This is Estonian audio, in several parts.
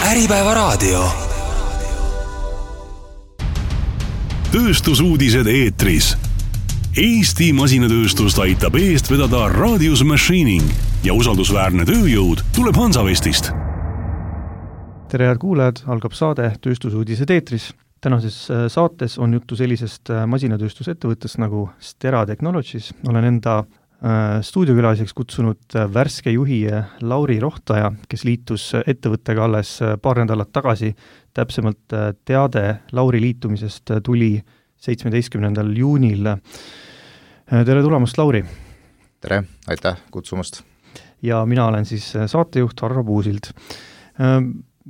Äripäevaraadio. Tööstusuudised eetris. Eesti masinatööstust aitab eest vedada Radius Machining ja usaldusväärne tööjõud tuleb Hansavestist. Tere head kuulajad, algab saade Tööstusuudised eetris. Tänases saates on juttu sellisest masinatööstusettevõttest nagu Stera Technologies. Olen enda stuudiokülaliseks kutsunud värske juhi Lauri Rohtaja, kes liitus ettevõttega alles paar nädalat tagasi. Täpsemalt teade Lauri liitumisest tuli 17. juunil. Tere tulemast, Lauri! Tere, aitäh kutsumast! Ja mina olen siis saatejuht Harro Puusild.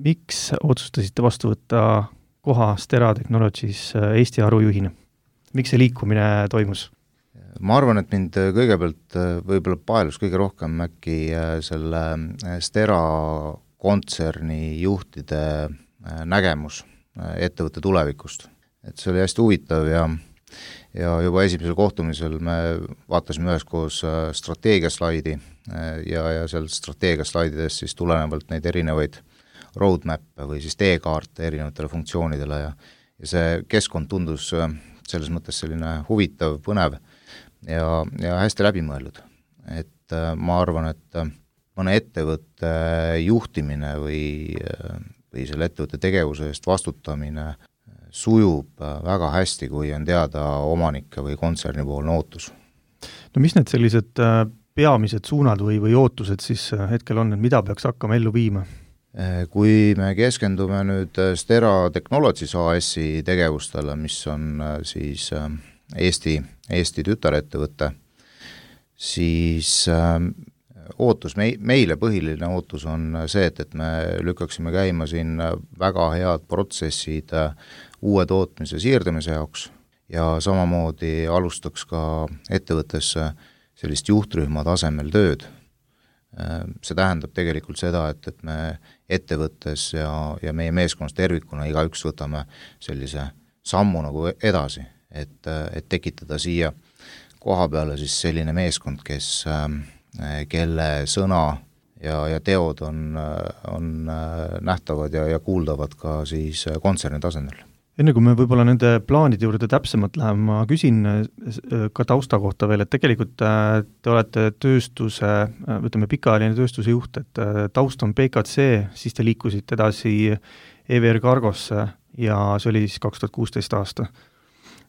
Miks otsustasite vastu võtta koha Stera Technologies Eesti harujuhina? Miks see liikumine toimus? Ma arvan, et mind kõigepealt võib-olla paelus kõige rohkem äkki selle Stera kontserni juhtide nägemus ettevõtte tulevikust. Et see oli hästi huvitav ja juba esimesel kohtumisel me vaatasime üheskoos strateegiaslaidi ja seal strateegiaslaidides siis tulenevalt neid erinevaid roadmap'e või siis teekaarte erinevatele funktsioonidele ja see keskkond tundus selles mõttes selline huvitav, põnev ja hästi läbimõeldud. Et ma arvan, et mõne ettevõtte juhtimine või selle ettevõtte tegevuse eest vastutamine sujub väga hästi, kui on teada omanike või kontsernipoolne ootus. No mis need sellised peamised suunad või ootused siis hetkel on, et mida peaks hakkama ellu viima? Kui me keskendume nüüd Stera Technologies AS-i tegevustele, mis on siis Eesti tütarettevõte, siis ootus, meile põhiline ootus on see, et me lükkaksime käima siin väga head protsessid uue tootmise siirdamise jaoks ja samamoodi alustaks ka ettevõttes sellist juhtrühma tasemel tööd. See tähendab tegelikult seda, et me ettevõttes ja meie meeskonnas tervikuna igaüks võtame sellise sammu nagu edasi, et tekitada siia koha peale siis selline meeskond, kelle sõna ja teod on nähtavad ja kuuldavad ka siis kontserni tasandil. Enne kui me võib-olla nende plaanide juurde täpsemalt läheme, ma küsin ka tausta kohta veel, et tegelikult te olete tööstuse, võtame pikaajaline tööstuse juht, et taust on PKC, siis te liikusite edasi EVR Cargosse ja see oli siis 2016 aasta.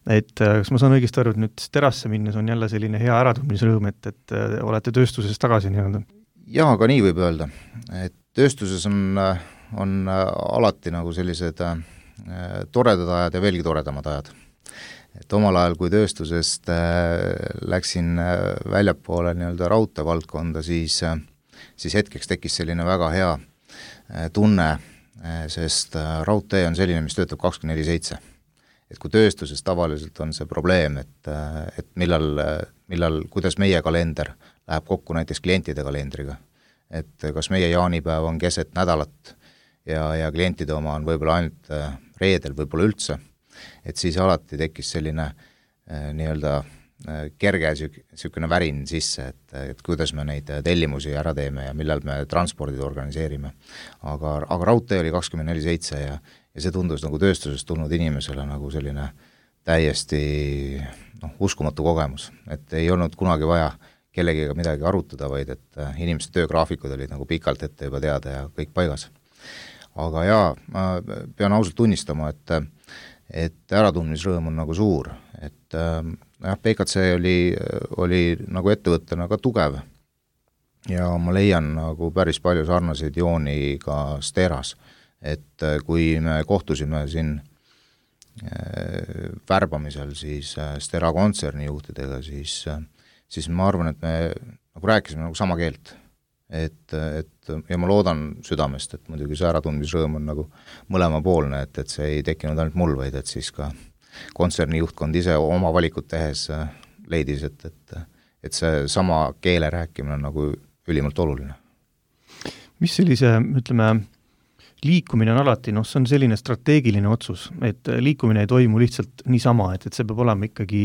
Et kas ma saan õigesti aru, et nüüd Sterasse minnes on jälle selline hea äratundmisrõõm, et olete tööstuses tagasi nii-öelda? Jaa, aga nii võib öelda. Et tööstuses on alati nagu sellised toredad ajad ja veelgi toredamad ajad. Et omal ajal, kui tööstusest läksin väljapoole nii-öelda raudteevaldkonda, siis hetkeks tekkis selline väga hea tunne, sest raudtee on selline, mis töötab 24/7. Et kui tööstuses tavaliselt on see probleem, et millal, kuidas meie kalender läheb kokku näiteks klientide kalendriga, et kas meie jaanipäev on keset nädalat ja klientide oma on võib-olla ainult reedel, võib-olla üldse, et siis alati tekkis selline nii-öelda kerge sükene värin sisse, et kuidas me neid tellimusi ära teeme ja millal me transpordid organiseerime. Aga raudtee oli 24/7 ja see tundus nagu tööstusest tulnud inimesele nagu selline täiesti uskumatu kogemus, et ei olnud kunagi vaja kellegiga midagi arutada, vaid et inimeste töögraafikud olid nagu pikalt ette juba teada ja kõik paigas. Aga jaa, ma pean ausalt tunnistama, et äratundmisrõõm on nagu suur, et PKC oli nagu ettevõttena ka tugev ja ma leian nagu päris palju sarnaseid jooni ka Steras, et kui me kohtusime siin värbamisel siis Stera kontserni juhtidega, siis ma arvan, et me nagu rääkisime nagu sama keelt. Ja ma loodan südamest, et muidugi see äratundmisrõõm on nagu mõlemapoolne, et see ei tekkinud ainult mul, vaid et siis ka kontserni juhtkond ise oma valikut tehes leidis, et see sama keele rääkimine on nagu ülimalt oluline. Mis sellise, ütleme, liikumine on alati, see on selline strateegiline otsus, et liikumine ei toimu lihtsalt niisama, et see peab olema ikkagi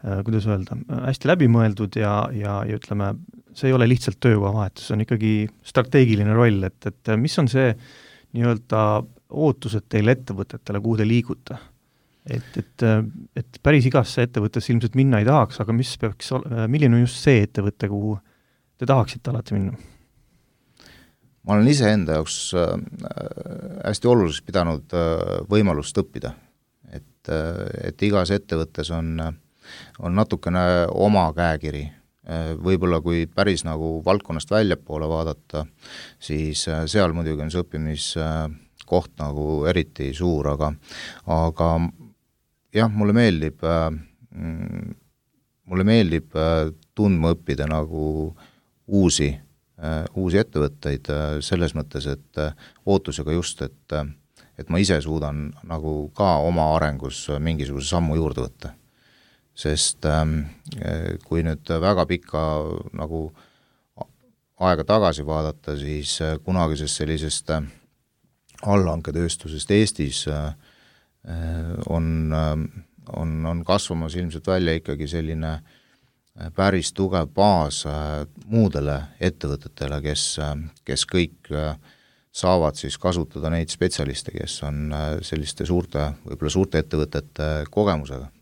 kuidas öelda, hästi läbimõeldud ja ütleme, see ei ole lihtsalt töökohavahetus, see on ikkagi strateegiline roll, et mis on see nii-öelda ootused teile ettevõtetele, kuhu te liigute? Et päris igasse ettevõttesse ilmselt minna ei tahaks, aga milline on just see ettevõte, kuhu te tahaksite alati minna? Ma olen ise enda jaoks hästi oluliselt pidanud võimalust õppida, et igas ettevõttes on natukene oma käekiri. Võib-olla kui päris nagu valdkonnast väljapoole vaadata, siis seal muidugi on see õppimiskoht nagu eriti suur, aga jah, mulle meeldib tundma õppida nagu uusi ettevõtteid selles mõttes, et ootusega just, et ma ise suudan nagu ka oma arengus mingisuguse sammu juurde võtta. Sest kui nüüd väga pikka nagu aega tagasi vaadata, siis kunagisest sellisest allhanketööstusest Eestis on kasvamas ilmselt välja ikkagi selline päris tugev baas muudele ettevõtetele, kes kõik saavad siis kasutada neid spetsialiste, kes on selliste võib-olla suurte ettevõtete kogemusega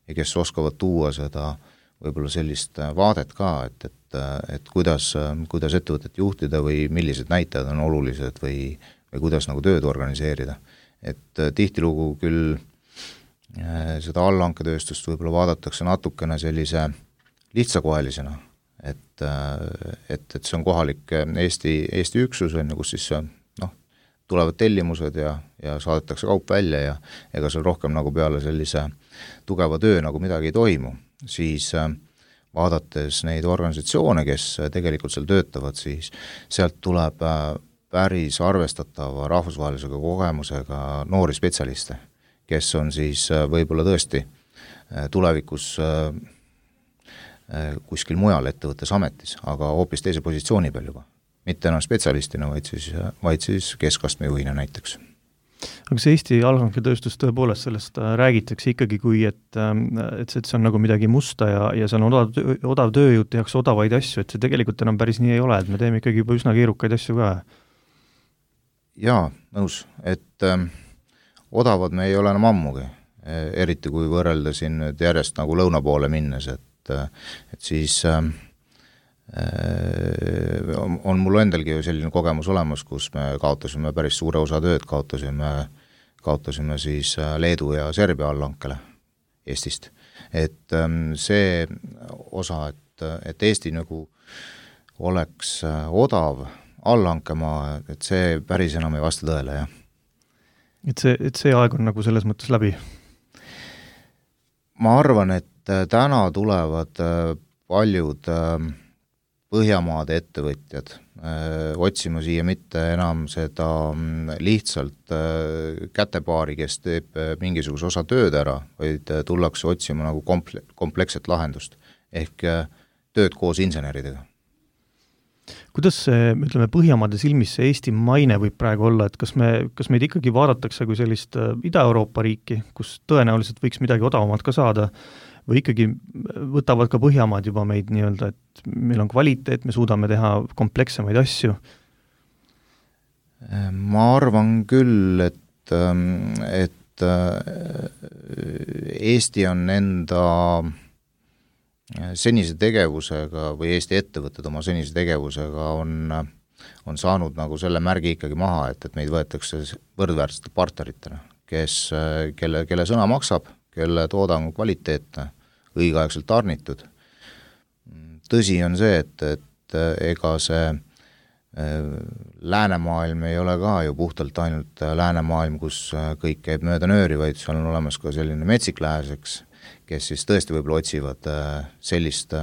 ja kes oskavad tuua seda võib-olla sellist vaadet ka, et kuidas ettevõtet juhtida või millised näitajad on olulised või kuidas nagu tööd organiseerida. Et tihtilugu küll seda allhanketööstust võib-olla vaadatakse natukene sellise lihtsakohelisena, et see on kohalik Eesti üksus, kus siis tulevad tellimused ja saadetakse kaup välja ja ega seal rohkem nagu peale sellise tugeva töö nagu midagi ei toimu, siis vaadates neid organisatsioone, kes tegelikult seal töötavad, siis sealt tuleb päris arvestatava rahvusvahelisega kogemusega noori spetsialiste, kes on siis võib-olla tõesti tulevikus kuskil mujal ettevõttes ametis, aga hoopis teise positsiooni peal juba. Mitte enam spetsialistina, vaid siis keskastme juhina näiteks. Aga see Eesti allhanketööstus tõepoolest sellest räägitakse ikkagi kui, et see on nagu midagi musta ja see on odav tööjõud, tehakse odavaid asju, et see tegelikult enam päris nii ei ole, et me teeme ikkagi juba üsna keerukaid asju ka. Jaa, nõus, et odavad me ei ole enam ammugi, eriti kui võrrelda siin nüüd järjest nagu lõuna poole minnes, et siis on mul endalgi ju selline kogemus olemas, kus me kaotasime päris suure osa tööd, kaotasime siis Leedu ja Serbia allhankele Eestist. Et see osa, et Eesti nagu oleks odav allhankemaa, et see päris enam ei vasta tõele, jah. Et see aeg on nagu selles mõttes läbi? Ma arvan, et täna tulevad paljud Põhjamaade ettevõtjad otsima siia mitte enam seda lihtsalt kätepaari, kes teeb mingisuguse osa tööd ära, vaid tullakse otsima nagu kompleksset lahendust ehk tööd koos inseneridega. Kuidas see, ütleme, Põhjamaade silmis see Eesti maine võib praegu olla, et kas meid ikkagi vaadatakse kui sellist Ida-Euroopa riiki, kus tõenäoliselt võiks midagi odavamat ka saada, või ikkagi võtavad ka Põhjamaad juba meid nii-öelda, et meil on kvaliteet, me suudame teha komplekssemaid asju? Ma arvan küll, et Eesti on enda senise tegevusega või Eesti ettevõtted oma senise tegevusega on saanud nagu selle märgi ikkagi maha, et meid võetakse võrdväärsete partneritena, kelle sõna maksab, kelle toodang kvaliteetne, õigeaegselt tarnitud. Tõsi on see, et ega see läänemaailm ei ole ka ju puhtalt ainult läänemaailm, kus kõik käib mööda nööri, vaid seal on olemas ka selline metsik lääseks, kes siis tõesti võib-olla otsivad sellist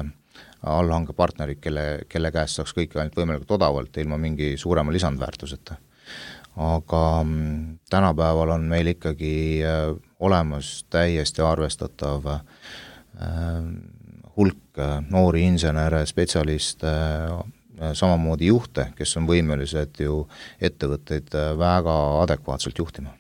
allhankepartnerit, kelle käest saaks kõike ainult võimalikult odavalt, ilma mingi suurema lisandväärtuseta. Aga tänapäeval on meil ikkagi olemas täiesti arvestatav hulk noori insenere, spetsialiste, samamoodi juhte, kes on võimelised ju ettevõtteid väga adekvaatselt juhtima.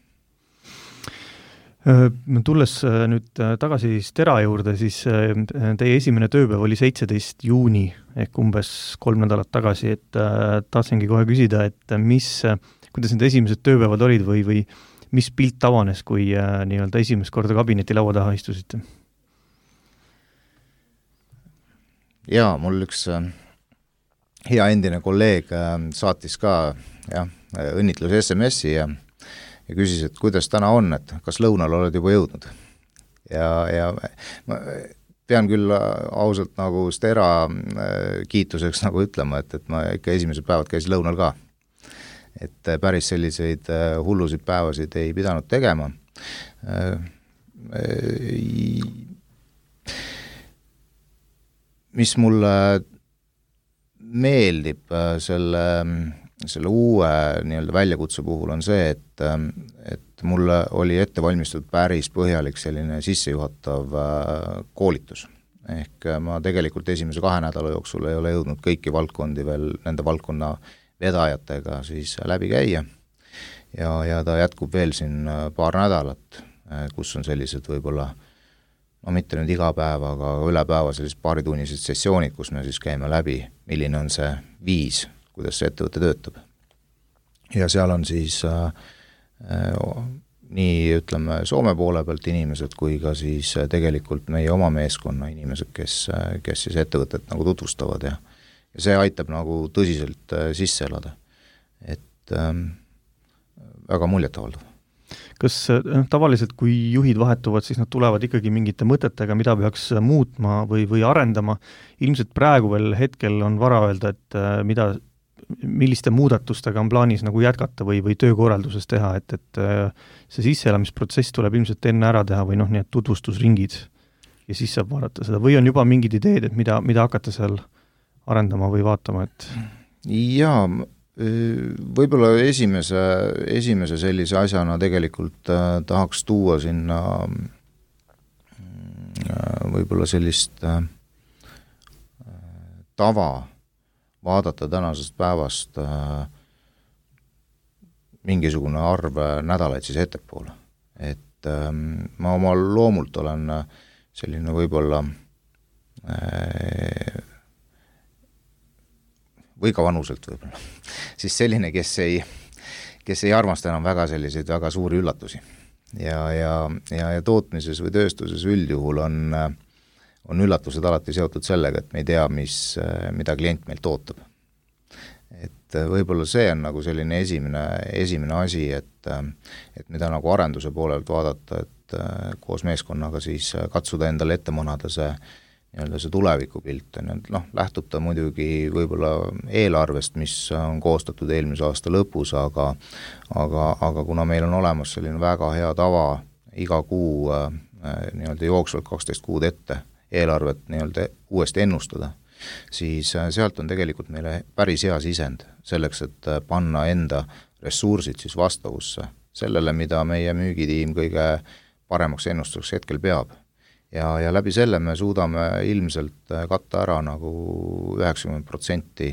Tulles nüüd tagasi Stera juurde, siis teie esimene tööpäev oli 17. juuni ehk umbes 3 nädalat tagasi, et tahtsingi kohe küsida, et kuidas need esimesed tööpäevad olid või mis pilt avanes, kui nii-öelda esimest korda kabineti laua taha istusite? Jaa, mul üks hea endine kolleeg saatis ka õnnitlus SMS-i ja küsis, et kuidas täna on, et kas lõunal oled juba jõudnud. Ja ma pean küll ausalt nagu Stera kiituseks nagu ütlema, et ma ikka esimesed päevad käisin lõunal ka. Et päris selliseid hullusid päevasid ei pidanud tegema. Mis mulle meeldib selle uue nii-öelda väljakutse puhul on see, et mulle oli ette valmistatud päris põhjalik selline sissejuhatav koolitus. Ehk ma tegelikult esimese 2 nädala jooksul ei ole jõudnud kõiki valdkondi veel nende valdkonna vedajatega siis läbi käia. Ja ta jätkub veel siin paar nädalat, kus on sellised võib-olla no mitte nüüd iga päev, aga üle päeva sellised paaritunnised sessioonid, kus me siis käime läbi, milline on see viis, kuidas see ettevõte töötab. Ja seal on siis nii ütleme Soome poole pealt inimesed kui ka siis tegelikult meie oma meeskonna inimesed, kes siis ettevõtet nagu tutvustavad ja see aitab nagu tõsiselt sisse elada. Et väga muljetavaldav. Kas tavaliselt, kui juhid vahetuvad, siis nad tulevad ikkagi mingite mõtetega, mida peaks muutma või arendama? Ilmselt praegu veel hetkel on vara öelda, et milliste muudatustega on plaanis nagu jätkata või töökorralduses teha, et see sisseelamisprotsess tuleb ilmselt enne ära teha või nii et tutvustusringid ja siis saab vaadata seda. Või on juba mingid ideed, et mida hakata seal arendama või vaatama? Jaa, võib-olla esimese sellise asjana tegelikult tahaks tuua sinna võib-olla sellist tava vaadata tänasest päevast mingisugune arv nädalaid siis ettepoole. Et ma oma loomult olen selline võib-olla või ka vanuselt võib-olla, siis selline, kes ei armasta enam väga selliseid väga suuri üllatusi. Ja tootmises või tööstuses üldjuhul on üllatused alati seotud sellega, et me ei tea, mida klient meilt ootab. Et võib-olla see on nagu selline esimene asi, et mida nagu arenduse poolelt vaadata, et koos meeskonnaga siis katsuda endale ette manada see tulevikupilt, lähtub ta muidugi võib-olla eelarvest, mis on koostatud eelmise aasta lõpus, aga kuna meil on olemas selline väga hea tava iga kuu jooksvalt 12 kuud ette eelarvet uuesti ennustada, siis sealt on tegelikult meile päris hea sisend selleks, et panna enda ressursid siis vastavusse sellele, mida meie müügitiim kõige paremaks ennustuseks hetkel peab. Ja läbi selle me suudame ilmselt katta ära nagu 90%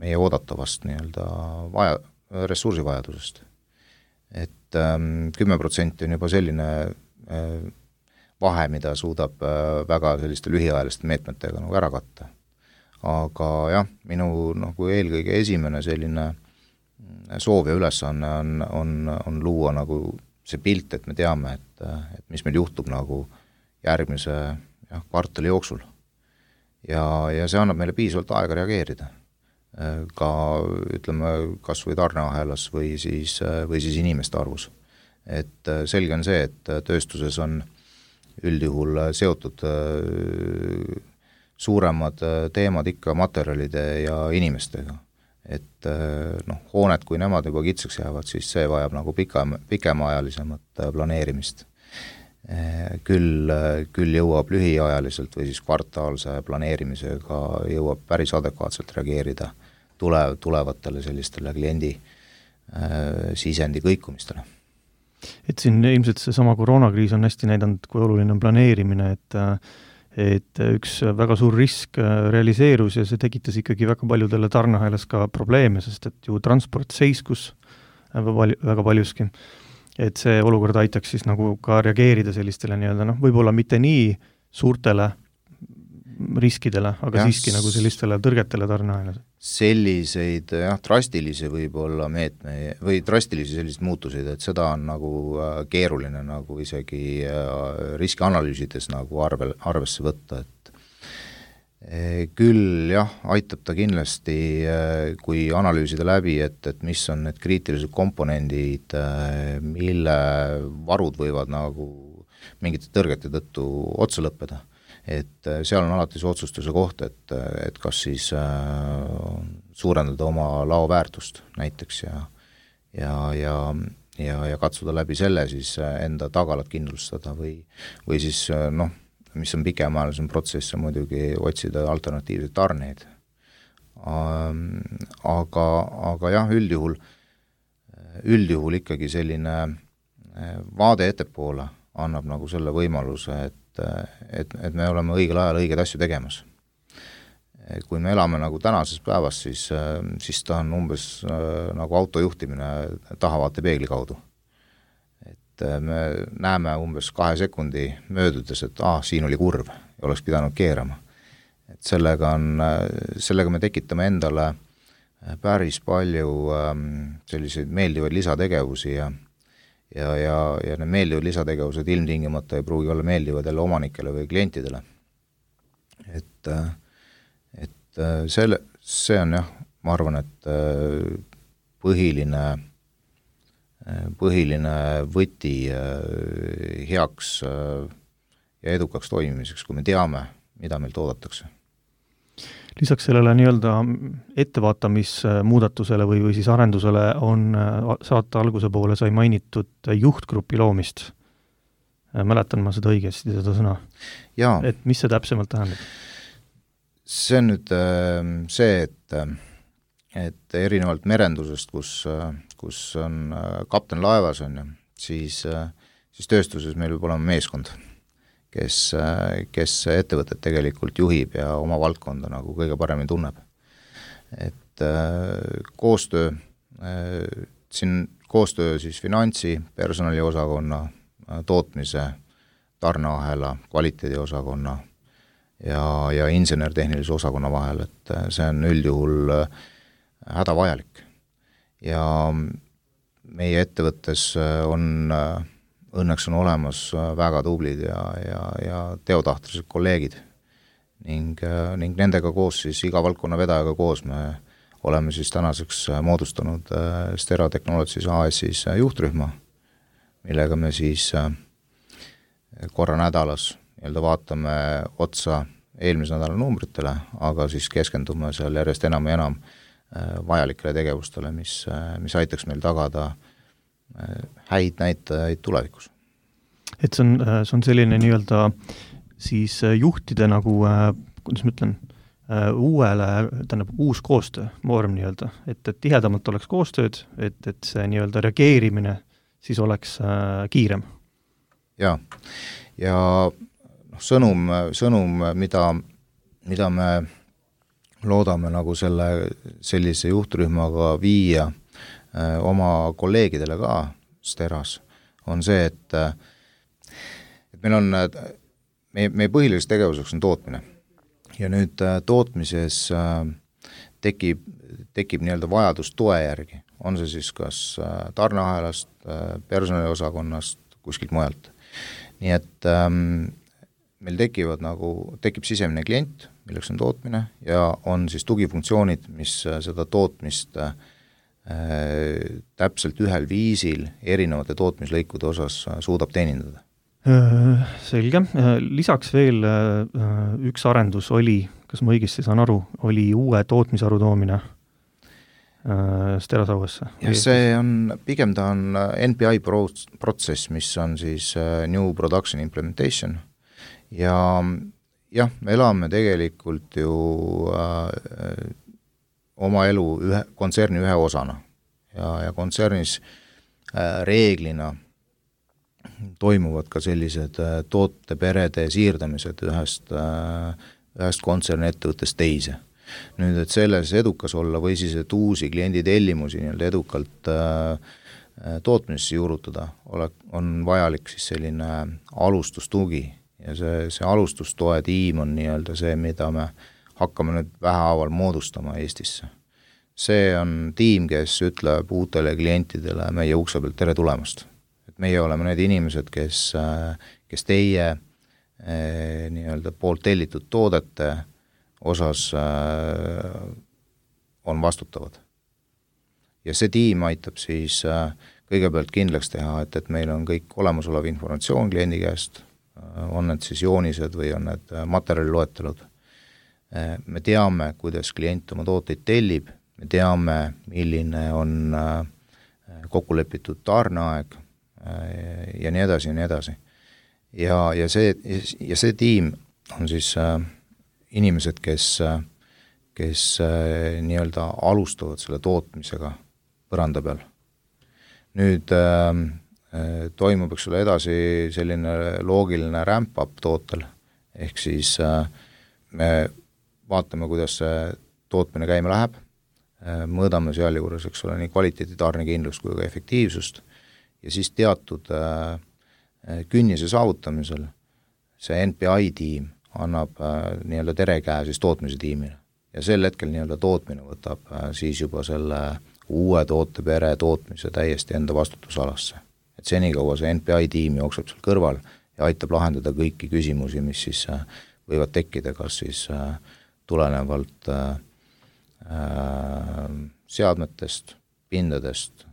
meie oodatavast ressursivajadusest. Et 10% on juba selline vahe, mida suudab väga selliste lühiajaliste meetmetega nagu ära katta. Aga jah, minu nagu eelkõige esimene selline soov ja ülesanne on luua nagu see pilt, et me teame, et mis meil juhtub nagu järgmise kvartali jooksul. Ja see annab meile piisavalt aega reageerida. Ka ütleme kas või tarneahelas või siis inimeste arvus. Et selge on see, et tööstuses on üldjuhul seotud suuremad teemad ikka materjalide ja inimestega. Et hooned, kui nemad juba kitsaks jäävad, siis see vajab nagu pikemaajalisemat planeerimist. Küll jõuab lühiajaliselt või siis kvartaalse planeerimisega jõuab päris adekvaatselt reageerida tulevatele sellistele kliendi sisendi kõikumistele. Et siin ilmselt see sama koroonakriis on hästi näidanud, kui oluline on planeerimine, et üks väga suur risk realiseerus ja see tekitas ikkagi väga paljudele tarneahelas ka probleeme, sest et ju transport seiskus väga paljuski. Et see olukord aitaks siis nagu ka reageerida sellistele võib-olla mitte nii suurtele riskidele, aga siiski nagu sellistele tõrgetele tarneahelas. selliseid drastilisi võib-olla meetme või drastilisi selliseid muutuseid, et seda on nagu keeruline nagu isegi riskianalüüsides nagu arvesse võtta, et küll jah, aitab ta kindlasti, kui analüüsida läbi, et mis on need kriitilised komponendid, mille varud võivad nagu mingite tõrgete tõttu otsa lõppeda. Et seal on alati see otsustuse koht, et kas siis suurendada oma lao väärtust näiteks ja katsuda läbi selle siis enda tagalat kindlustada või siis mis on pikemaajalisem protsess, on muidugi otsida alternatiivseid tarneid. Aga jah, üldjuhul ikkagi selline vaade ettepoole annab nagu selle võimaluse, et me oleme õigel ajal õigeid asju tegemas. Kui me elame nagu tänases päevas, siis ta on umbes nagu autojuhtimine tahavaate peegli kaudu. Me näeme umbes 2 sekundi möödudes, et siin oli kurv ja oleks pidanud keerama. Et sellega me tekitame endale päris palju selliseid meeldivaid lisategevusi ja need meeldivad lisategevused ilmtingimata ei pruugi olla meeldivad jälle omanikele või klientidele. Et see on jah, ma arvan, et põhiline võti heaks ja edukaks toimimiseks, kui me teame, mida meilt oodatakse. Lisaks sellele nii-öelda ettevaatamismuudatusele või siis arendusele on saate alguse poole sai mainitud juhtgrupi loomist. Mäletan ma seda õigesti, seda sõna? Jaa. Et mis see täpsemalt tähendab? See on nüüd see, et erinevalt merendusest, kus on kapten laevas, siis tööstuses meil võib olema meeskond, kes ettevõtet tegelikult juhib ja oma valdkonda nagu kõige paremini tunneb. Et koostöö siis finantsi, personaliosakonna, tootmise, tarneahela, kvaliteediosakonna ja insener-tehnilise osakonna vahel, et see on üldjuhul hädavajalik. Ja meie ettevõttes õnneks on olemas väga tublid ja teotahtlised kolleegid ning nendega koos siis iga valdkonna vedajaga koos me oleme siis tänaseks moodustanud Stera Technologies AS-is juhtrühma, millega me siis korra nädalas vaatame otsa eelmise nädala numbritele, aga siis keskendume seal järjest enam ja enam vajalikele tegevustele, mis aitaks meil tagada häid näitajaid tulevikus. Et see on selline nii-öelda siis juhtide nagu, kuidas ma ütlen, uus koostöö, vorm nii-öelda, et tihedamalt oleks koostööd, et see nii-öelda reageerimine siis oleks kiirem. Ja sõnum, mida me loodame nagu sellise juhtrühmaga viia oma kolleegidele ka Steras, on see, et meil on, meie põhiliseks tegevuseks on tootmine. Ja nüüd tootmises tekib nii-öelda vajadus toe järgi. On see siis kas tarneahelast, personaliosakonnast, kuskilt mujalt. Nii et meil tekib sisemine klient, milleks on tootmine, ja on siis tugifunktsioonid, mis seda tootmist täpselt ühel viisil erinevate tootmislõikude osas suudab teenindada. Selge. Lisaks veel üks arendus oli, kas ma õigesti saan aru, oli uue tootmisharu toomine Steras auesse? Ja see on, pigem ta on NPI protsess, mis on siis New Production Implementation. Ja jah, me elame tegelikult ju oma elu kontserni ühe osana ja kontsernis reeglina toimuvad ka sellised tooteperede siirdamised ühest kontserni ettevõttest teise. Nüüd, et selles edukas olla või siis, et uusi kliendi tellimusi nii-öelda edukalt tootmisesse juurutada, on vajalik siis selline alustustugi ja see alustustoe tiim on nii-öelda see, mida me hakkame nüüd vähehaaval moodustama Eestisse. See on tiim, kes ütleb uutele klientidele meie ukse pealt tere tulemast. Et meie oleme need inimesed, kes teie nii-öelda poolt tellitud toodete osas on vastutavad. Ja see tiim aitab siis kõigepealt kindlaks teha, et meil on kõik olemasolev informatsioon kliendi käest, on need siis joonised või on need materjaliloetelud. Me teame, kuidas klient oma tooteid tellib, me teame, milline on kokkulepitud tarneaeg ja nii edasi ja nii edasi. Ja see tiim on siis inimesed, kes nii-öelda alustavad selle tootmisega põranda peal. Nüüd toimub eks ole edasi selline loogiline ramp-up tootel, ehk siis me vaatame, kuidas see tootmine käima läheb, mõõdame seal juures, eks ole, nii kvaliteedi tarnekindlust kui ka efektiivsust ja siis teatud künnise saavutamisel see NPI tiim annab nii-öelda terekäe siis tootmise tiimile ja sel hetkel nii-öelda tootmine võtab siis juba selle uue tootepere tootmise täiesti enda vastutusalasse. Et senikaua see NPI tiim jookseb seal kõrval ja aitab lahendada kõiki küsimusi, mis siis võivad tekkida, kas siis tulenevalt seadmetest, pindadest,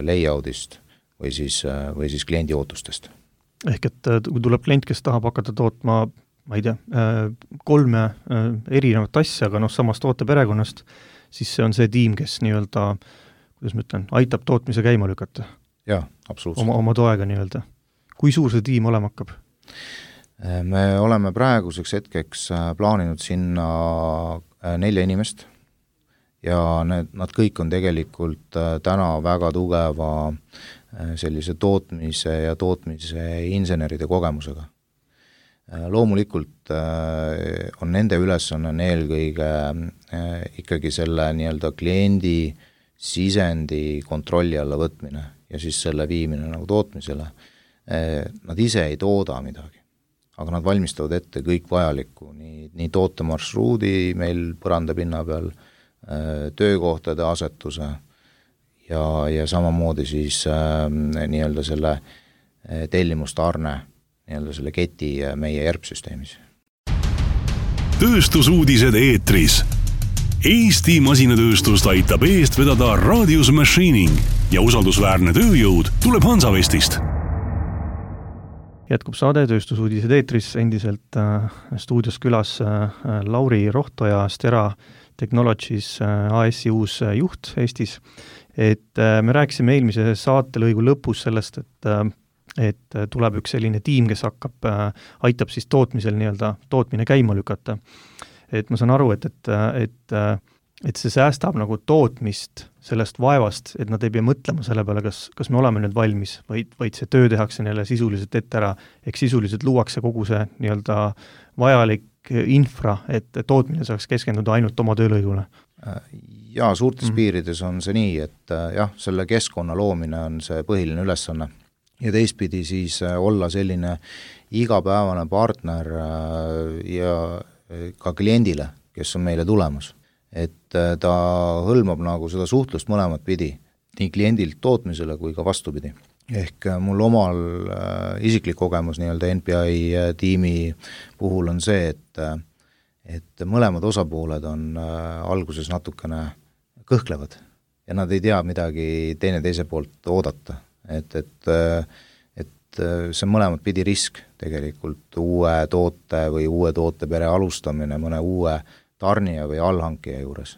layoutist või siis kliendi ootustest. Ehk et kui tuleb klient, kes tahab hakata tootma, ma ei tea, 3 erinevat asja, aga samast tooteperekonnast, siis see on see tiim, kes nii-öelda, kuidas ma ütlen, aitab tootmise käima lükata. Jaa, absoluutselt. Oma toega nii-öelda. Kui suur see tiim olema hakkab? Me oleme praeguseks hetkeks plaaninud sinna 4 inimest ja nad kõik on tegelikult täna väga tugeva sellise tootmise ja tootmise inseneride kogemusega. Loomulikult on nende ülesanne eelkõige ikkagi selle nii-öelda kliendi sisendi kontrolli alla võtmine ja siis selle viimine nagu tootmisele. Nad ise ei tooda midagi, aga nad valmistavad ette kõik vajalikku, nii tootemarsruudi meil põrandapinna peal, töökohtade asetuse ja samamoodi siis nii-öelda selle tellimustarne nii-öelda selle keti meie ERP-süsteemis. Tööstusuudised eetris. Eesti masinatööstust aitab eest vedada Radius Machining ja usaldusväärne tööjõud tuleb Hansavestist. Jätkub saade Tööstusuudised eetris, endiselt stuudios külas Lauri Rohtoja, Stera Technologies AS-i uus juht Eestis. Et me rääkisime eelmise saatelõigu lõpus sellest, et tuleb üks selline tiim, kes aitab siis tootmisel nii-öelda tootmine käima lükata. Et ma saan aru, et see säästab nagu tootmist sellest vaevast, et nad ei pea mõtlema selle peale, kas me oleme nüüd valmis, vaid see töö tehakse neile sisuliselt ette ära, ehk sisuliselt luuakse kogu see nii-öelda vajalik infra, et tootmine saaks keskenduda ainult oma töölõigule. Jaa, suurtes piirides on see nii, et jah, selle keskkonna loomine on see põhiline ülesanne ja teistpidi siis olla selline igapäevane partner ja ka kliendile, kes on meile tulemas. Et ta hõlmab nagu seda suhtlust mõlemat pidi, nii kliendilt tootmisele kui ka vastupidi. Ehk mul omal isiklik kogemus nii-öelda NPI tiimi puhul on see, et mõlemad osapooled on alguses natukene kõhklevad ja nad ei tea midagi teine teise poolt oodata. Et see mõlemat pidi risk tegelikult uue toote või uue tootepere alustamine mõne uue tarnija või allhankija juures.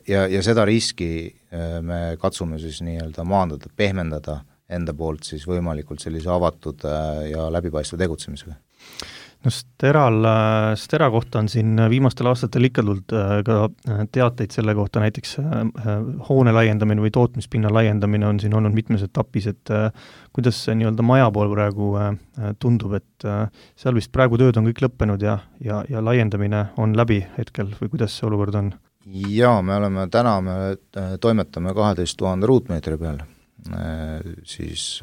Ja seda riski me katsume siis nii-öelda maandada, pehmendada enda poolt siis võimalikult sellise avatud ja läbipaistva tegutsemisega. No Stera kohta on siin viimastel aastatel ikka tulnud ka teateid selle kohta, näiteks hoone laiendamine või tootmispinna laiendamine on siin olnud mitmes etapis, et kuidas see nii-öelda maja pool praegu tundub, et seal vist praegu tööd on kõik lõppenud ja laiendamine on läbi hetkel või kuidas see olukord on? Jaa, me toimetame 12 000 ruutmeetri peal siis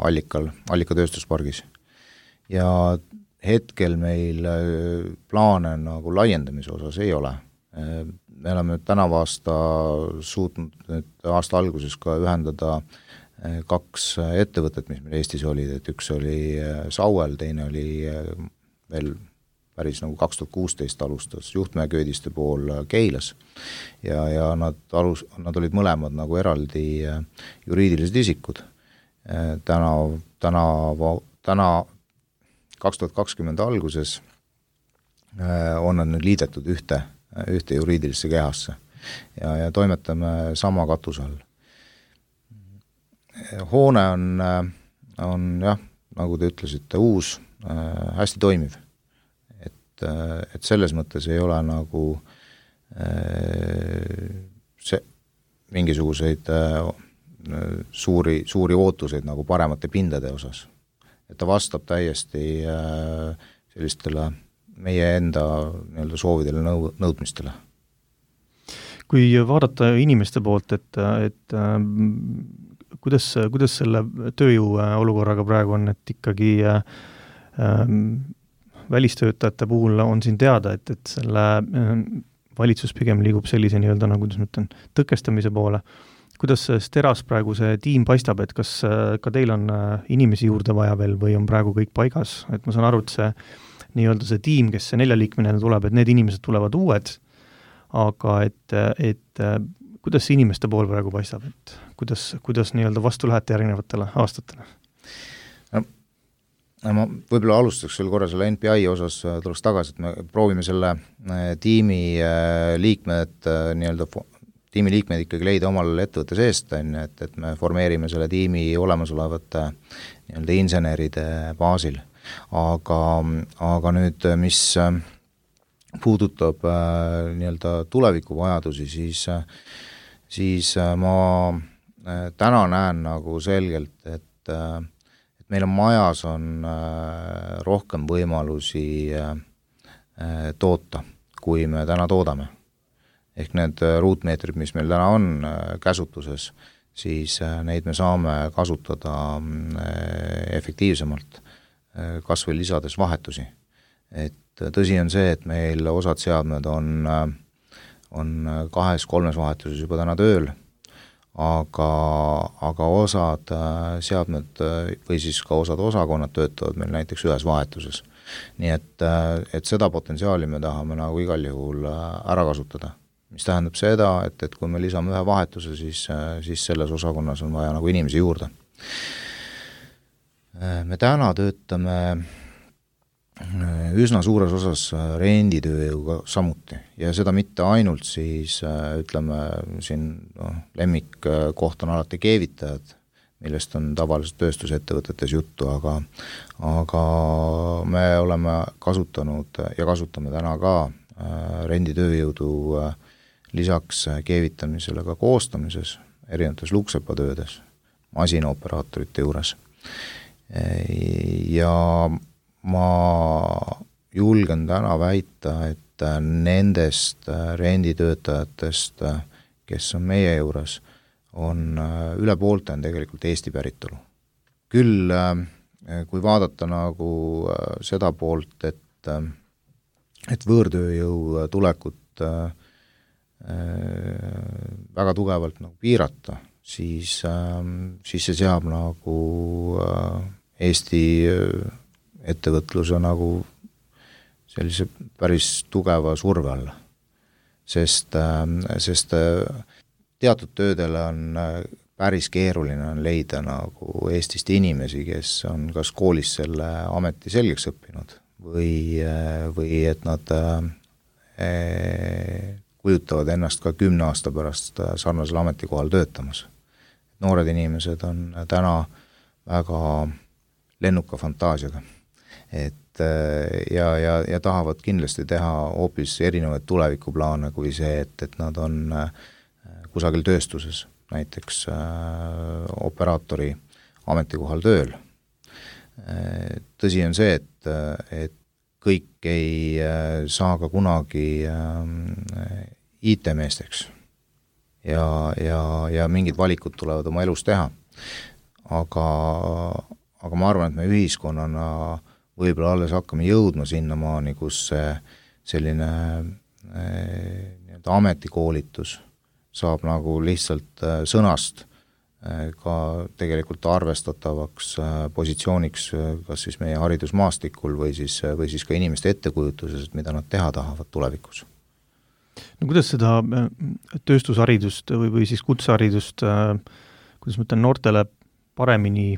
Allika tööstuspargis ja hetkel meil plaane nagu laiendamise osas ei ole. Me oleme tänavu aasta suutnud nüüd aasta alguses ka ühendada 2 ettevõtet, mis meil Eestis olid, et üks oli Sauel, teine oli veel päris nagu 2016 alustas Juhtmäe-Köödiste pool Keilas ja nad olid mõlemad nagu eraldi juriidilised isikud. Täna 2020 alguses on nad nüüd liidetud ühte juriidilisse kehasse ja toimetame sama katuse all. Hoone on jah, nagu te ütlesite, uus, hästi toimiv. Et selles mõttes ei ole nagu mingisuguseid suuri ootuseid nagu paremate pindade osas. Et ta vastab täiesti sellistele meie enda nii-öelda soovidele nõudmistele. Kui vaadata inimeste poolt, et kuidas selle tööjõu olukorraga praegu on, et ikkagi välistöötajate puhul on siin teada, et selle valitsus pigem liigub sellise nii-öelda, nagu kuidas ma ütlen, tõkestamise poole. Kuidas Steras praegu see tiim paistab, et kas ka teil on inimesi juurde vaja veel või on praegu kõik paigas? Et ma saan aru, et see nii-öelda see tiim, kes see 4-liikmeline tuleb, et need inimesed tulevad uued, aga et kuidas see inimeste pool praegu paistab, et kuidas nii-öelda vastu lähete järgnevatele aastatele? Ma võib-olla alustaks veel korra selle NPI osas tuleks tagasi, et me proovime selle tiimi liikmed ikkagi leida omal ettevõtte seest, et me formeerime selle tiimi olemasolevate nii-öelda inseneride baasil. Aga nüüd, mis puudutab nii-öelda tulevikuvajadusi, siis ma täna näen nagu selgelt, et meil on majas rohkem võimalusi toota, kui me täna toodame. Ehk need ruutmeetrid, mis meil täna on käsutuses, siis neid me saame kasutada efektiivsemalt, kas või lisades vahetusi. Et tõsi on see, et meil osad seadmed on 2-3 vahetuses juba täna tööl, aga osad seadmed või siis ka osad osakonnad töötavad meil näiteks ühes vahetuses. Nii et seda potentsiaali me tahame nagu igal juhul ära kasutada. Mis tähendab seda, et kui me lisame ühe vahetuse, siis selles osakonnas on vaja nagu inimesi juurde. Me täna töötame üsna suures osas renditööjõuga samuti ja seda mitte ainult siis ütleme siin lemmikkoht on alati keevitajad, millest on tavaliselt tööstusettevõtetes juttu, aga me oleme kasutanud ja kasutame täna ka renditööjõudu lisaks keevitamisele ka koostamises, erinevates luksepatöödes, masinaoperaatorite juures. Ja ma julgen täna väita, et nendest renditöötajatest, kes on meie juures, on üle poolte on tegelikult Eesti päritolu. Küll, kui vaadata nagu seda poolt, et võõrtööjõu tulekut väga tugevalt nagu piirata, siis see seab nagu Eesti ettevõtluse nagu sellise päris tugeva surve alla. Sest teatud töödele on päris keeruline on leida nagu Eestist inimesi, kes on kas koolis selle ameti selgeks õppinud või et nad kujutavad ennast ka 10 aasta pärast sarnasel ametikohal töötamas. Noored inimesed on täna väga lennuka fantaasiaga, ja tahavad kindlasti teha hoopis erinevaid tulevikuplaane kui see, et nad on kusagil tööstuses, näiteks operaatori ametikohal tööl. Tõsi on see, et kõik ei saa ka kunagi IT-meesteks ja mingid valikud tulevad oma elus teha. Aga ma arvan, et me ühiskonnana võib-olla alles hakkame jõudma sinnamaani, kus selline ametikoolitus saab nagu lihtsalt sõnast ka tegelikult arvestatavaks positsiooniks kas siis meie haridusmaastikul või siis ka inimeste ettekujutuses, mida nad teha tahavad tulevikus. No kuidas seda tööstusharidust või siis kutseharidust, kuidas ma ütlen, noortele paremini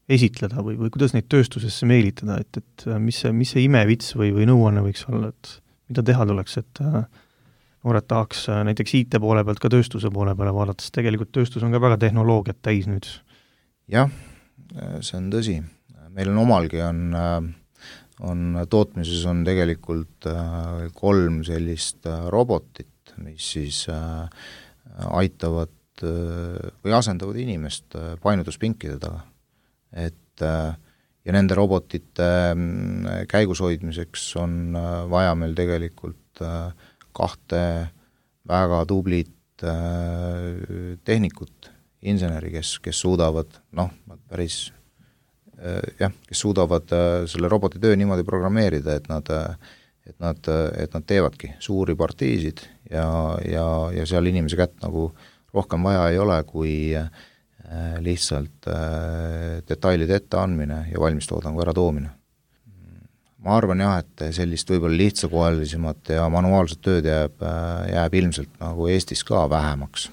esitleda või kuidas neid tööstusesse meelitada, et mis see imevits või nõuanne võiks olla, et mida teha tuleks, et noored tahaks näiteks IT poole pealt ka tööstuse poole peale vaadates, tegelikult tööstus on ka väga tehnoloogiat täis nüüd. Jah, see on tõsi. Meil on omalgi on tootmises on tegelikult 3 sellist robotit, mis siis aitavad või asendavad inimest painutuspinkide taga. Ja nende robotite käigus hoidmiseks on vaja meil tegelikult 2 väga tublit tehnikut, inseneri, kes suudavad, kes suudavad selle roboti töö niimoodi programmeerida, et nad teevadki suuri partiisid ja seal inimese kätt nagu rohkem vaja ei ole, kui lihtsalt detailide ette andmine ja valmistoodangu ära toomine. Ma arvan jah, et sellist võib-olla lihtsakohalisemat ja manuaalset tööd jääb ilmselt nagu Eestis ka vähemaks.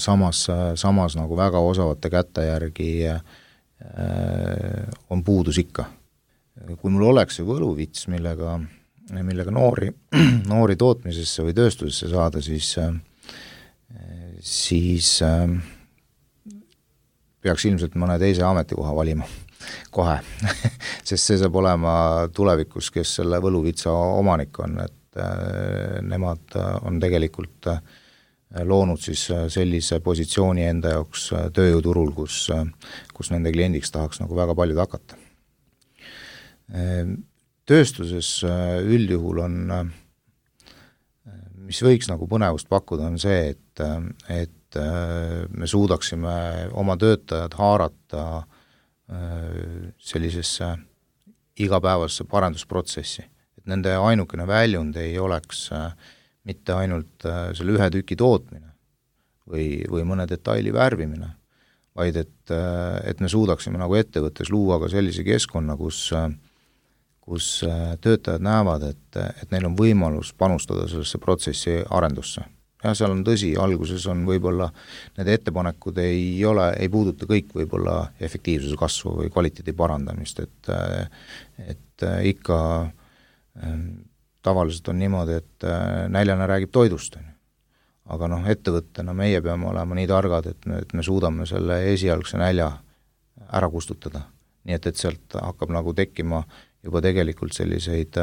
Samas nagu väga osavate kätte järgi on puudus ikka. Kui mul oleks see võluvits, millega noori tootmisesse või tööstusesse saada, siis peaks ilmselt mõne teise ametikoha valima kohe, sest see saab olema tulevikus, kes selle võluvitsa omanik on, et nemad on tegelikult loonud siis sellise positsiooni enda jaoks tööjõuturul, kus nende kliendiks tahaks nagu väga paljud hakata. Tööstuses üldjuhul on, mis võiks nagu põnevust pakkuda, on see, et me suudaksime oma töötajad haarata sellisesse igapäevasse parendusprotsessi. Et nende ainukene väljund ei oleks mitte ainult selle ühe tüki tootmine või mõne detaili värvimine, vaid et me suudaksime nagu ettevõttes luua ka sellise keskkonna, kus töötajad näevad, et neil on võimalus panustada sellesse protsessi arendusse. Ja seal on tõsi, alguses on võib-olla need ettepanekud ei puuduta kõik võib-olla efektiivsuse kasvu või kvaliteedi parandamist, et ikka tavaliselt on niimoodi, et näljane räägib toidust. Aga ettevõttena meie peame olema nii targad, et me suudame selle esialgse nälja ära kustutada. Nii et sealt hakkab nagu tekkima juba tegelikult selliseid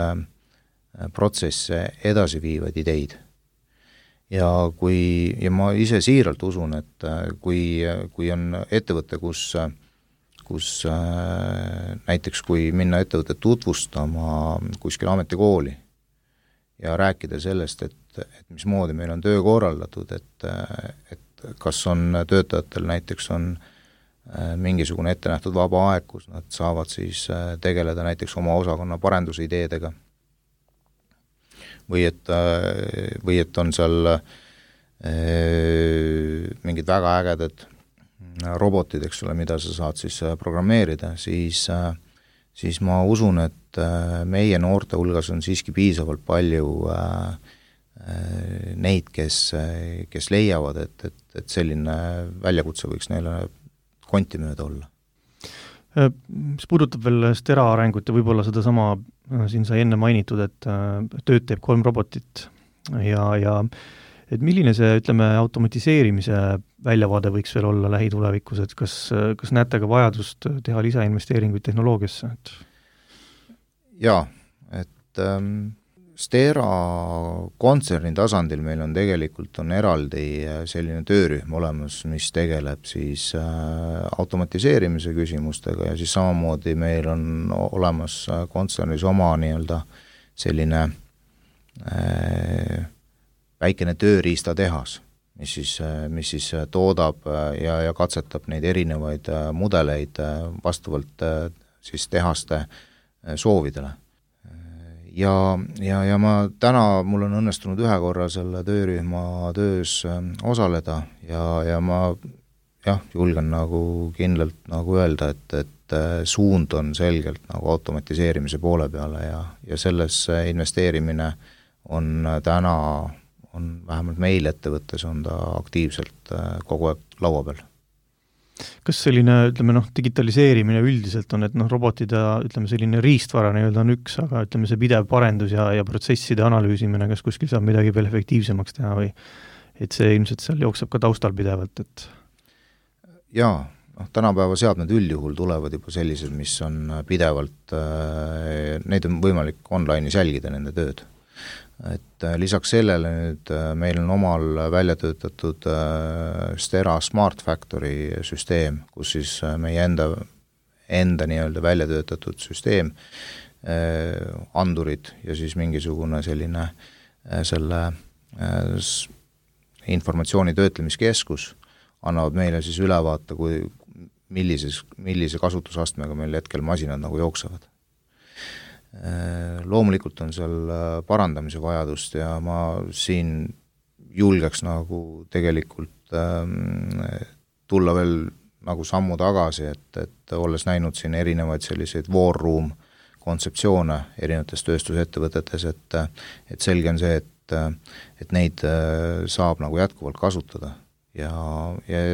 protsesse edasi viivaid ideid. Ja ma ise siiralt usun, et kui on ettevõte, kus näiteks kui minna ettevõtet tutvustama kuskil ametikooli ja rääkida sellest, et mismoodi meil on töö korraldatud, et kas on töötajatel näiteks on mingisugune ette nähtud vaba aeg, kus nad saavad siis tegeleda näiteks oma osakonna parendusideedega, või et on seal mingid väga ägedad robotid, eks ole, mida sa saad siis programmeerida, siis ma usun, et meie noorte hulgas on siiski piisavalt palju neid, kes leiavad, et selline väljakutse võiks neile konti mööda olla. Mis puudutab veel Stera arengut ja võib-olla seda sama siin sai enne mainitud, et tööd teeb 3 robotit ja et milline see, ütleme, automatiseerimise väljavaade võiks veel olla lähitulevikus, et kas näete ka vajadust teha lisainvesteeringuid tehnoloogiasse? Jaa, et Stera kontserni tasandil meil on tegelikult eraldi selline töörühm olemas, mis tegeleb siis automatiseerimise küsimustega ja siis samamoodi meil on olemas kontsernis oma nii-öelda selline väikene tööriistatehas, mis toodab ja katsetab neid erinevaid mudeleid vastavalt siis tehaste soovidele. Ja ma mul on õnnestunud ühe korra selle töörühma töös osaleda ja ma julgen nagu kindlalt nagu öelda, et suund on selgelt nagu automatiseerimise poole peale ja selles investeerimine on vähemalt meil ettevõttes on ta aktiivselt kogu aeg laua peal. Kas selline, digitaliseerimine üldiselt on, et robotid ja selline riistvara on üks, aga see pidev parendus ja protsesside analüüsimine, kas kuskil saab midagi veel efektiivsemaks teha või et see ilmselt seal jookseb ka taustal pidevalt, et jaa, tänapäeva seadmed üldjuhul tulevad juba sellised, mis on pidevalt, neid on võimalik online'is jälgida, nende tööd. Et lisaks sellele nüüd meil on omal välja töötatud Stera Smart Factory süsteem, kus siis meie enda nii-öelda välja töötatud süsteem, andurid ja siis mingisugune selline selle informatsiooni töötlemiskeskus annavad meile siis ülevaate, millise kasutusastmega meil hetkel masinad nagu jooksevad. Loomulikult on seal parandamise vajadust ja ma siin julgeks nagu tegelikult tulla veel nagu sammu tagasi, et olles näinud siin erinevaid selliseid war room kontseptsioone erinevates tööstusettevõtetes, et selge on see, et neid saab nagu jätkuvalt kasutada. Ja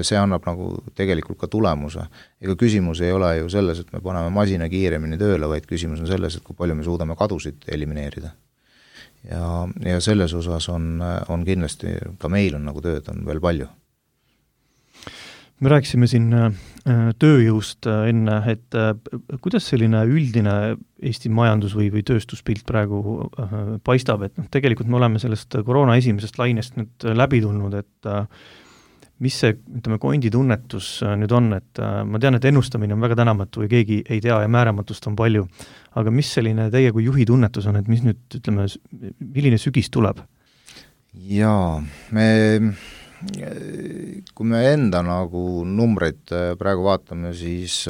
see annab nagu tegelikult ka tulemuse. Ega küsimus ei ole ju selles, et me paneme masina kiiremini tööle, vaid küsimus on selles, et kui palju me suudame kadusid elimineerida. Ja selles osas on kindlasti, ka meil on nagu tööd on veel palju. Me rääkisime siin tööjõust enne, et kuidas selline üldine Eesti majandus või tööstuspilt praegu paistab, et tegelikult me oleme sellest koroona esimesest lainest nüüd läbi tulnud, et mis see, kondi tunnetus nüüd on, et ma tean, et ennustamine on väga tänamatu ja keegi ei tea ja määramatust on palju, aga mis selline teie kui juhi tunnetus on, et mis nüüd, milline sügis tuleb? Jaa, kui me enda nagu numbreid praegu vaatame, siis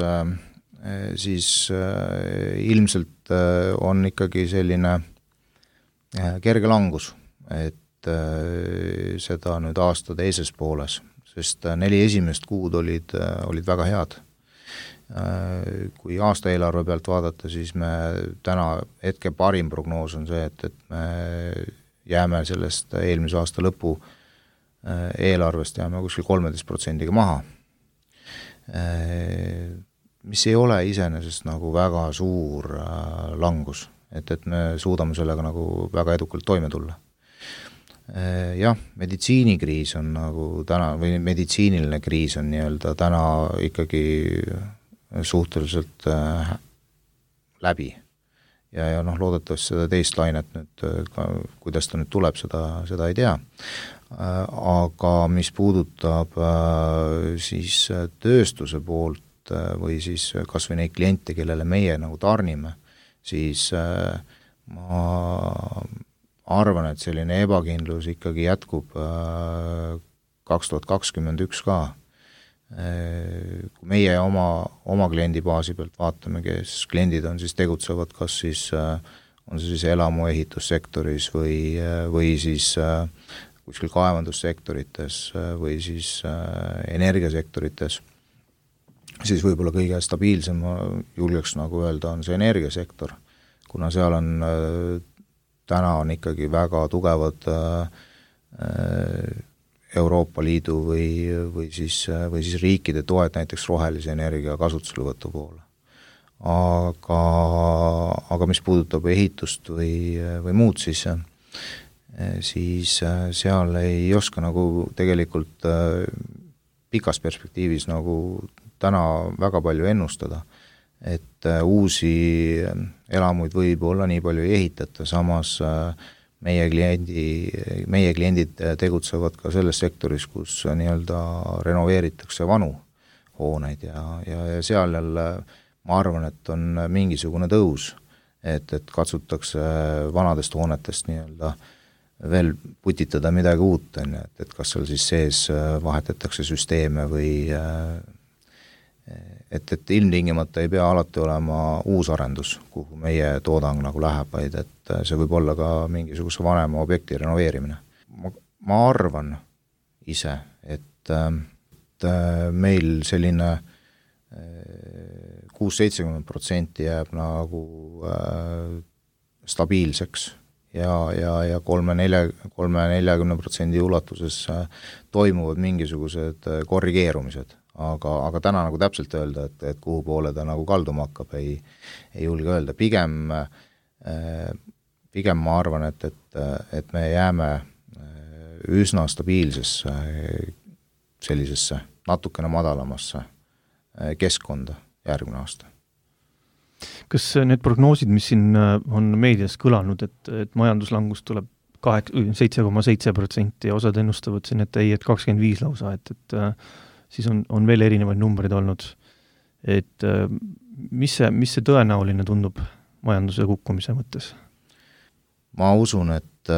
ilmselt on ikkagi selline kerge langus, et seda nüüd aasta teises pooles, sest 4 esimest kuud olid väga head. Kui aasta eelarve pealt vaadata, siis me täna hetke parim prognoos on see, et me jääme sellest eelmise aasta lõpu eelarvest jääme kuskil 13% maha, mis ei ole iseenesest nagu väga suur langus, et me suudame sellega nagu väga edukalt toime tulla. Jah, meditsiinikriis on nagu täna, või meditsiiniline kriis on nii-öelda täna ikkagi suhteliselt läbi. Ja loodetavasti seda teist lainet nüüd, kuidas ta nüüd tuleb, seda ei tea. Aga mis puudutab siis tööstuse poolt või siis kas või neid kliente, kellele meie nagu tarnime, siis ma arvan, et selline ebakindlus ikkagi jätkub 2021 ka. Kui meie oma kliendibaasi pealt vaatame, kes kliendid on, siis tegutsevad kas siis on see siis elamuehitussektoris või siis kuskil kaevandussektorites või siis energiasektorites, siis võib-olla kõige stabiilsem julgeks nagu öelda on see energiasektor, kuna seal on täna on ikkagi väga tugevad Euroopa Liidu või siis riikide toed näiteks rohelise energia kasutuselevõtu poole. Aga mis puudutab ehitust või muud, siis seal ei oska nagu tegelikult pikas perspektiivis nagu täna väga palju ennustada, et uusi elamuid võib olla nii palju ei ehitata, samas meie kliendid tegutsevad ka selles sektoris, kus nii-öelda renoveeritakse vanu hooneid ja seal jälle ma arvan, et on mingisugune tõus, et katsutakse vanadest hoonetest nii-öelda veel putitada midagi uut, et kas seal siis sees vahetatakse süsteeme või et ilmtingimata ei pea alati olema uus arendus, kuhu meie toodang nagu läheb, vaid et see võib olla ka mingisuguse vanema objekti renoveerimine. Ma arvan ise, et meil selline 6-70% jääb nagu stabiilseks ja 3-40% ulatuses toimuvad mingisugused korrigeerumised. Aga täna nagu täpselt öelda, et kuhu poole ta nagu kalduma hakkab, ei julge öelda. Pigem ma arvan, et me jääme üsna stabiilsesse sellisesse natukene madalamasse keskkonda järgmine aasta. Kas need prognoosid, mis siin on meedias kõlanud, et majanduslangus tuleb 7,7% ja osad ennustavad siin, et 25 lausa, et siis on veel erinevaid numbreid olnud. Et mis see tõenäoline tundub majanduse kukkumise mõttes? Ma usun, et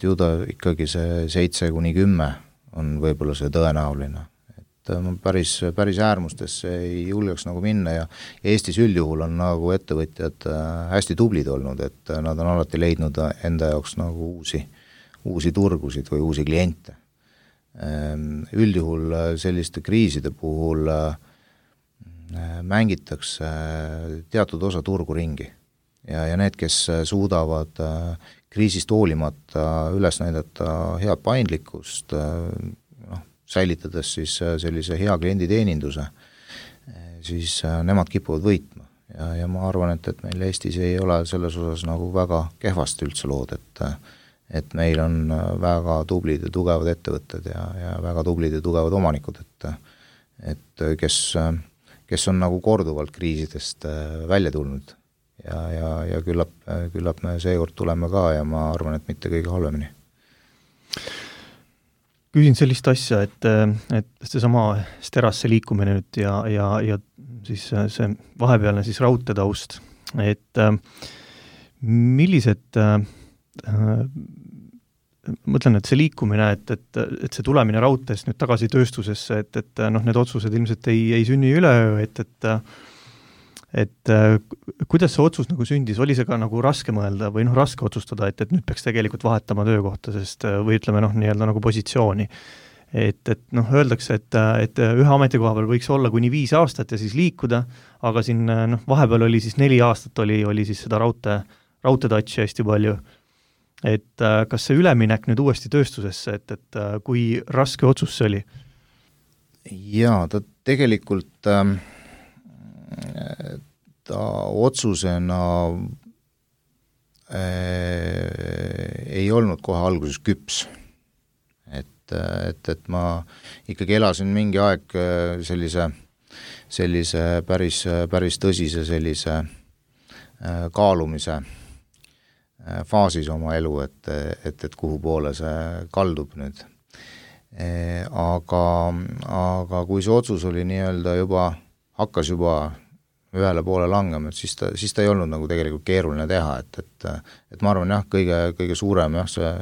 ju ta ikkagi see 7-10 on võib-olla see tõenäoline. Et ma päris äärmustesse ei julgeks nagu minna ja Eestis üldjuhul on nagu ettevõtjad hästi tublid olnud, et nad on alati leidnud enda jaoks nagu uusi turgusid või uusi kliente. Üldjuhul selliste kriiside puhul mängitakse teatud osa turgu ringi ja need, kes suudavad kriisist hoolimata üles näidata head paindlikkust, säilitades siis sellise hea klienditeeninduse, siis nemad kipuvad võitma ja ma arvan, et meil Eestis ei ole selles osas nagu väga kehvasti üldse lood, et meil on väga tublid ja tugevad ettevõtted ja väga tublid ja tugevad omanikud, et kes on nagu korduvalt kriisidest välja tulnud ja küllap me seekord tuleme ka ja ma arvan, et mitte kõige halvemini. Küsin sellist asja, et seesama Sterasse liikumine nüüd ja siis see vahepealne siis raudteetaust, et millised mõtlen, et see liikumine, et see tulemine raudteest nüüd tagasi tööstusesse, et need otsused ilmselt ei sünni üleöö, et kuidas see otsus nagu sündis, oli see ka nagu raske mõelda või raske otsustada, et nüüd peaks tegelikult vahetama töökohta, sest või ütleme nii-öelda nagu positsiooni. Et öeldakse, et ühe ametikoha peal võiks olla kuni 5 aastat ja siis liikuda, aga siin vahepeal oli siis 4 aastat oli siis seda raudteetatši hästi palju. Et kas see üleminek nüüd uuesti tööstusesse, et kui raske otsus see oli? Jaa, ta tegelikult ta otsusena ei olnud kohe alguses küps. Et ma ikkagi elasin mingi aeg sellise päris tõsise sellise kaalumise faasis oma elu, et kuhu poole see kaldub nüüd. Aga kui see otsus oli nii-öelda hakkas juba ühele poole langema, siis ta ei olnud nagu tegelikult keeruline teha, et ma arvan kõige suurem see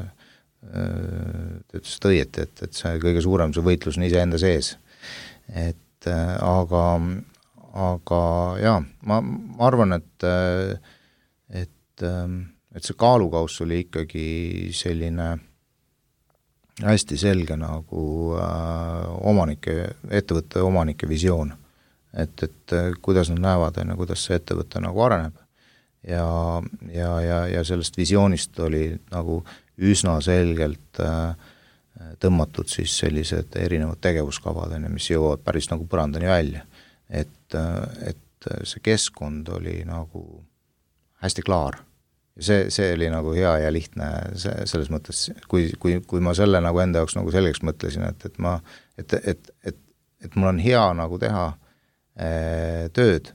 ütles õieti, et see kõige suurem see võitlus on iseenda sees. Aga jaa, ma arvan, et see kaalukauss oli ikkagi selline hästi selge nagu ettevõtte omanike visioon, et kuidas nad näevad, kuidas see ettevõte nagu areneb ja sellest visioonist oli nagu üsna selgelt tõmmatud siis sellised erinevad tegevuskavad, mis jõuavad päris nagu põrandani välja, et see keskkond oli nagu hästi klaar. See oli nagu hea ja lihtne selles mõttes, kui ma selle nagu enda jaoks nagu selgeks mõtlesin, et mul on hea nagu teha tööd,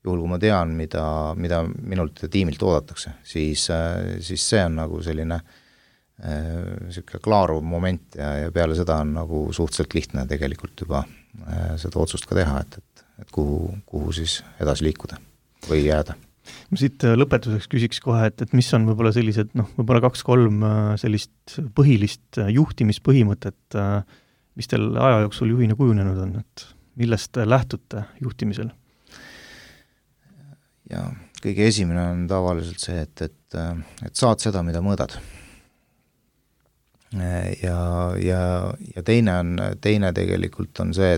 juhul kui ma tean, mida minult ja tiimilt oodatakse, siis see on nagu selline selline klaaruv moment ja peale seda on nagu suhteliselt lihtne tegelikult juba seda otsust ka teha, et kuhu siis edasi liikuda või jääda. Ma siit lõpetuseks küsiks kohe, et mis on võib-olla sellised, võib-olla 2-3 sellist põhilist juhtimispõhimõtet, mis teil aja jooksul juhina kujunenud on, et millest lähtute juhtimisel? Ja kõige esimene on tavaliselt see, et saad seda, mida mõõdad. Ja teine tegelikult on see,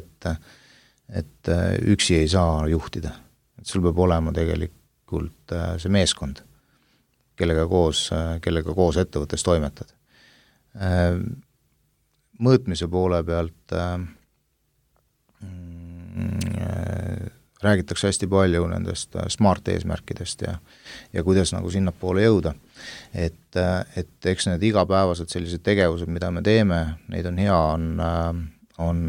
et üksi ei saa juhtida. Et sul peab olema tegelikult see meeskond, kellega koos ettevõttes toimetad. Mõõtmise poole pealt räägitakse hästi palju nendest smart eesmärkidest ja kuidas nagu sinna poole jõuda. Et eks need igapäevased sellised tegevused, mida me teeme, neid on hea on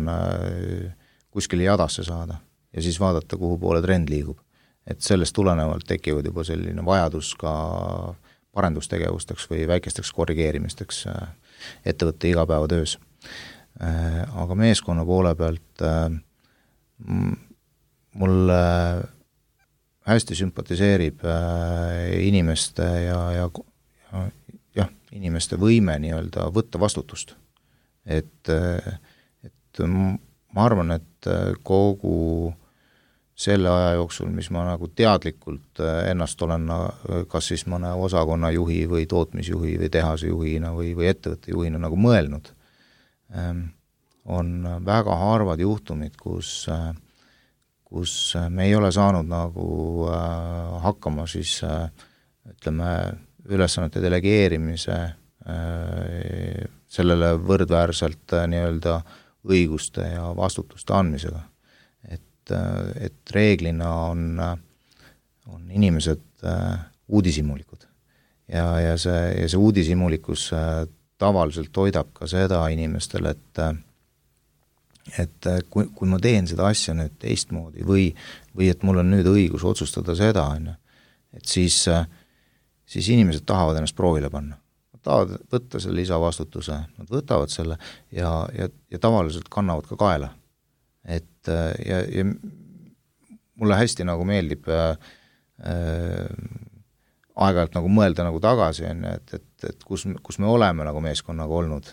kuskile jadasse saada ja siis vaadata, kuhu poole trend liigub. Et sellest tulenevalt tekivad juba selline vajadus ka parendustegevusteks või väikesteks korrigeerimisteks ettevõtte igapäevatöös. Aga meeskonna poole pealt mulle hästi sümpatiseerib inimeste ja inimeste võime nii-öelda võtta vastutust. Et ma arvan, et kogu selle aja jooksul, mis ma nagu teadlikult ennast olen kas siis mõne osakonna juhi või tootmisjuhi või tehase juhina või ettevõtte juhina nagu mõelnud, on väga harvad juhtumid, kus me ei ole saanud nagu hakkama siis ütleme ülesannete delegeerimise sellele võrdväärselt nii-öelda õiguste ja vastutuste andmisega. Et reeglina on inimesed uudishimulikud ja see uudishimulikus tavaliselt toidab ka seda inimestel, et kui ma teen seda asja nüüd teistmoodi või et mul on nüüd õigus otsustada seda, et siis inimesed tahavad ennast proovile panna. Nad tahavad võtta selle lisavastutuse, nad võtavad selle ja tavaliselt kannavad ka kaela. Ja mulle hästi nagu meeldib aeg-ajalt nagu mõelda nagu tagasi, et kus me oleme nagu meeskonnaga olnud,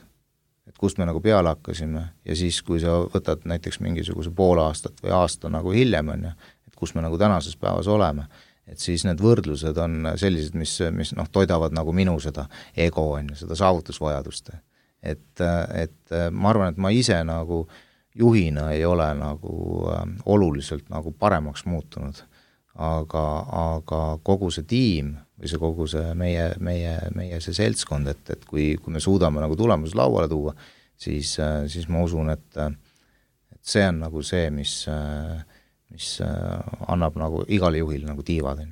et kust me nagu peale hakkasime ja siis, kui sa võtad näiteks mingisuguse pool aastat või aasta nagu hiljem, et kus me nagu tänases päevas oleme, et siis need võrdlused on sellised, mis toidavad nagu minu seda ego, seda saavutusvajadust. Et ma arvan, et ma ise nagu juhina ei ole nagu oluliselt nagu paremaks muutunud, aga kogu see tiim või see kogu see meie see seltskond, et kui me suudame nagu tulemused lauale tuua, siis ma usun, et see on nagu see, mis annab nagu igale juhile nagu tiivad.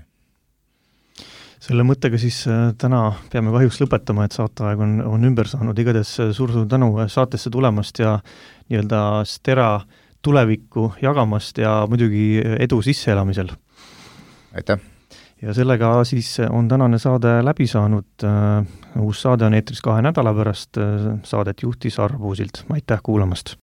Selle mõttega siis täna peame kahjuks lõpetama, et saateaeg on ümber saanud. Igades suur tänu saatesse tulemast ja nii-öelda Stera tulevikku jagamast ja muidugi edu sisseelamisel. Aitäh! Ja sellega siis on tänane saade läbi saanud. Uus saade on eetris 2 nädala pärast. Saadet juhtis Arvo Puusilt. Aitäh kuulamast!